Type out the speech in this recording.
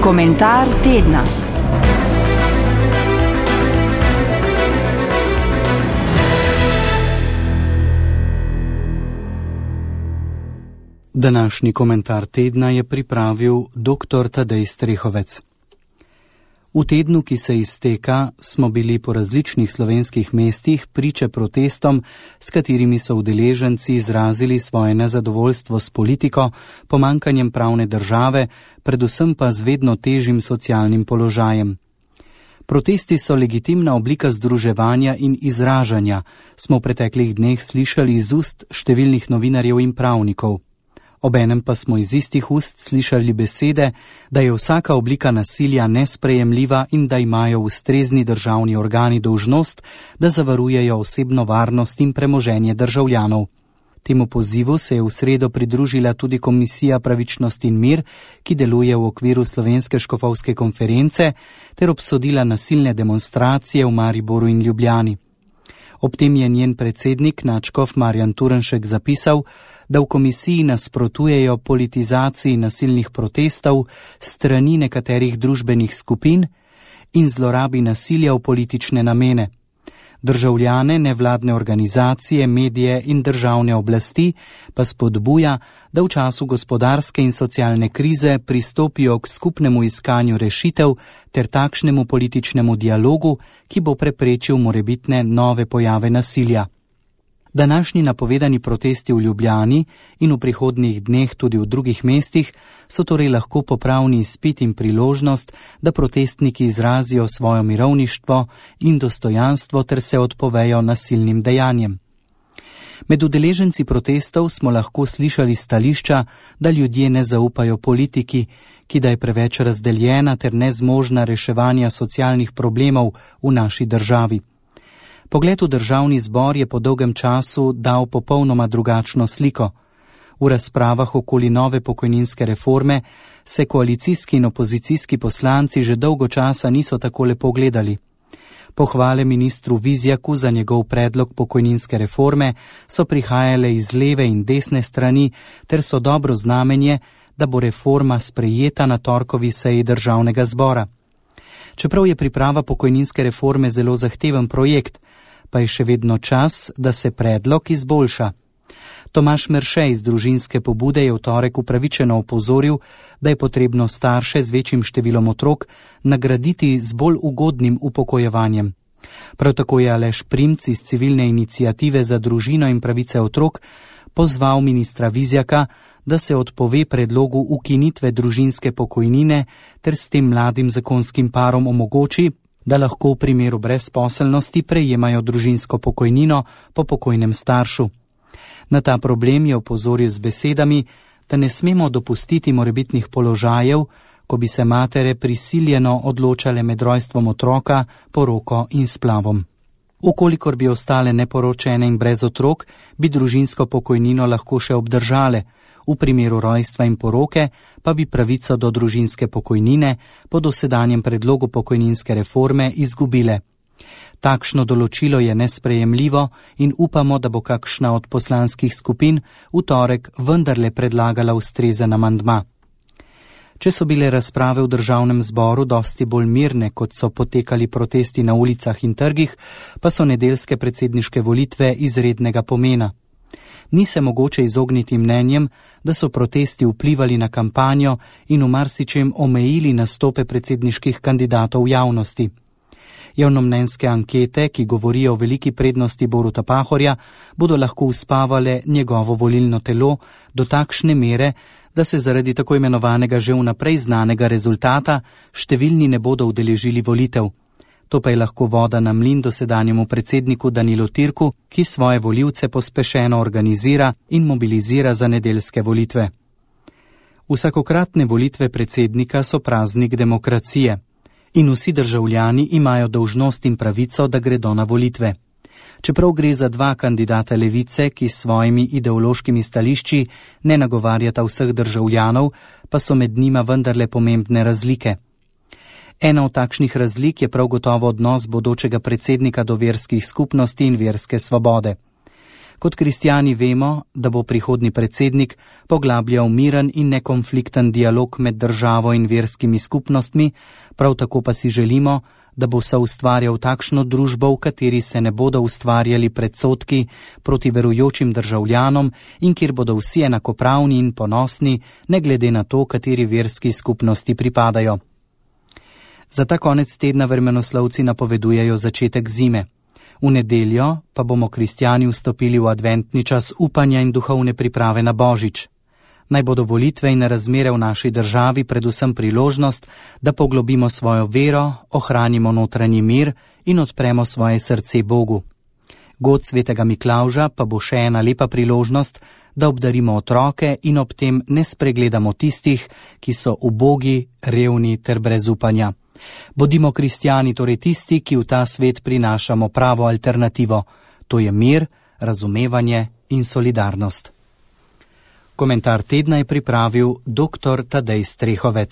Komentar tedna. Današnji komentar tedna je pripravil dr. Tadej Strehovec. V tednu, ki se izteka, smo bili po različnih slovenskih mestih priče protestom, s katerimi so udeleženci izrazili svoje nezadovoljstvo s politiko, pomanjkanjem pravne države, predvsem pa z vedno težjim socialnim položajem. Protesti so legitimna oblika združevanja in izražanja, smo v preteklih dneh slišali iz ust številnih novinarjev in pravnikov. Obenem pa smo iz istih ust slišali besede, da je vsaka oblika nasilja nesprejemljiva in da imajo ustrezni državni organi dolžnost, da zavarujejo osebno varnost in premoženje državljanov. Temu pozivu se je v sredo pridružila tudi Komisija Pravičnost in mir, ki deluje v okviru Slovenske škofovske konference, ter obsodila nasilne demonstracije v Mariboru in Ljubljani. Ob tem je njen predsednik, nadškof Marjan Turnšek, zapisal, da v komisiji nasprotujejo politizaciji nasilnih protestov strani nekaterih družbenih skupin in zlorabi nasilja v politične namene. Državljane, nevladne organizacije, medije in državne oblasti pa spodbuja, da v času gospodarske in socialne krize pristopijo k skupnemu iskanju rešitev ter takšnemu političnemu dialogu, ki bo preprečil morebitne nove pojave nasilja. Današnji napovedani protesti v Ljubljani in v prihodnjih dneh tudi v drugih mestih so torej lahko popravni izpit in priložnost, da protestniki izrazijo svojo mirovništvo in dostojanstvo ter se odpovejo nasilnim dejanjem. Med udeleženci protestov smo lahko slišali stališča, da ljudje ne zaupajo politiki, ki da je preveč razdeljena ter nezmožna reševanja socialnih problemov v naši državi. Pogled v državni zbor je po dolgem času dal popolnoma drugačno sliko. V razpravah okoli nove pokojninske reforme se koalicijski in opozicijski poslanci že dolgo časa niso tako lepo gledali. Pohvale ministru Vizjaku za njegov predlog pokojninske reforme so prihajale iz leve in desne strani ter so dobro znamenje, da bo reforma sprejeta na torkovi seji državnega zbora. Čeprav je priprava pokojninske reforme zelo zahteven projekt, pa je še vedno čas, da se predlog izboljša. Tomaž Merše iz družinske pobude je v torek upravičeno opozoril, da je potrebno starše z večjim številom otrok nagraditi z bolj ugodnim upokojevanjem. Prav tako je Aleš Primc iz civilne iniciative za družino in pravice otrok pozval ministra Vizjaka, da se odpove predlogu ukinitve družinske pokojnine ter s tem mladim zakonskim parom omogoči, da lahko v primeru brezposelnosti prejemajo družinsko pokojnino po pokojnem staršu. Na ta problem je opozoril z besedami, da ne smemo dopustiti morebitnih položajev, ko bi se matere prisiljeno odločale med rojstvom otroka, poroko in splavom. Ukolikor bi ostale neporočene in brez otrok, bi družinsko pokojnino lahko še obdržale, v primeru rojstva in poroke pa bi pravico do družinske pokojnine po dosedanjem predlogu pokojninske reforme izgubile. Takšno določilo je nesprejemljivo in upamo, da bo kakšna od poslanskih skupin v torek vendarle predlagala ustrezen amandma. Če so bile razprave v državnem zboru dosti bolj mirne, kot so potekali protesti na ulicah in trgih, pa so nedeljske predsedniške volitve izrednega pomena. Ni se mogoče izogniti mnenjem, da so protesti vplivali na kampanjo in v marsičem omejili nastope predsedniških kandidatov v javnosti. Javnomnenjske ankete, ki govorijo o veliki prednosti Boruta Pahorja, bodo lahko uspavale njegovo volilno telo do takšne mere, da se zaradi tako imenovanega že vnaprej znanega rezultata številni ne bodo udeležili volitev. To pa je lahko voda na mlin dosedanjemu predsedniku Danilu Türku, ki svoje volivce pospešeno organizira in mobilizira za nedeljske volitve. Vsakokratne volitve predsednika so praznik demokracije in vsi državljani imajo dolžnost in pravico, da gredo na volitve. Čeprav gre za dva kandidata levice, ki s svojimi ideološkimi stališči ne nagovarjata vseh državljanov, pa so med njima vendarle pomembne razlike. Ena od takšnih razlik je prav gotovo odnos bodočega predsednika do verskih skupnosti in verske svobode. Kot kristjani vemo, da bo prihodni predsednik poglabljal miren in nekonflikten dialog med državo in verskimi skupnostmi, prav tako pa si želimo, da bo soustvarjal takšno družbo, v kateri se ne bodo ustvarjali predsodki proti verujočim državljanom in kjer bodo vsi enakopravni in ponosni, ne glede na to, kateri verski skupnosti pripadajo. Za ta konec tedna vremenoslovci napovedujejo začetek zime. V nedeljo pa bomo kristjani vstopili v adventni čas upanja in duhovne priprave na Božič. Naj bodo volitve in razmere v naši državi predvsem priložnost, da poglobimo svojo vero, ohranimo notranji mir in odpremo svoje srce Bogu. God svetega Miklavža pa bo še ena lepa priložnost, da obdarimo otroke in ob tem ne spregledamo tistih, ki so ubogi, revni ter brez upanja. Bodimo kristjani torej tisti, ki v ta svet prinašamo pravo alternativo, to je mir, razumevanje in solidarnost. Komentar tedna je pripravil dr. Tadej Strehovec.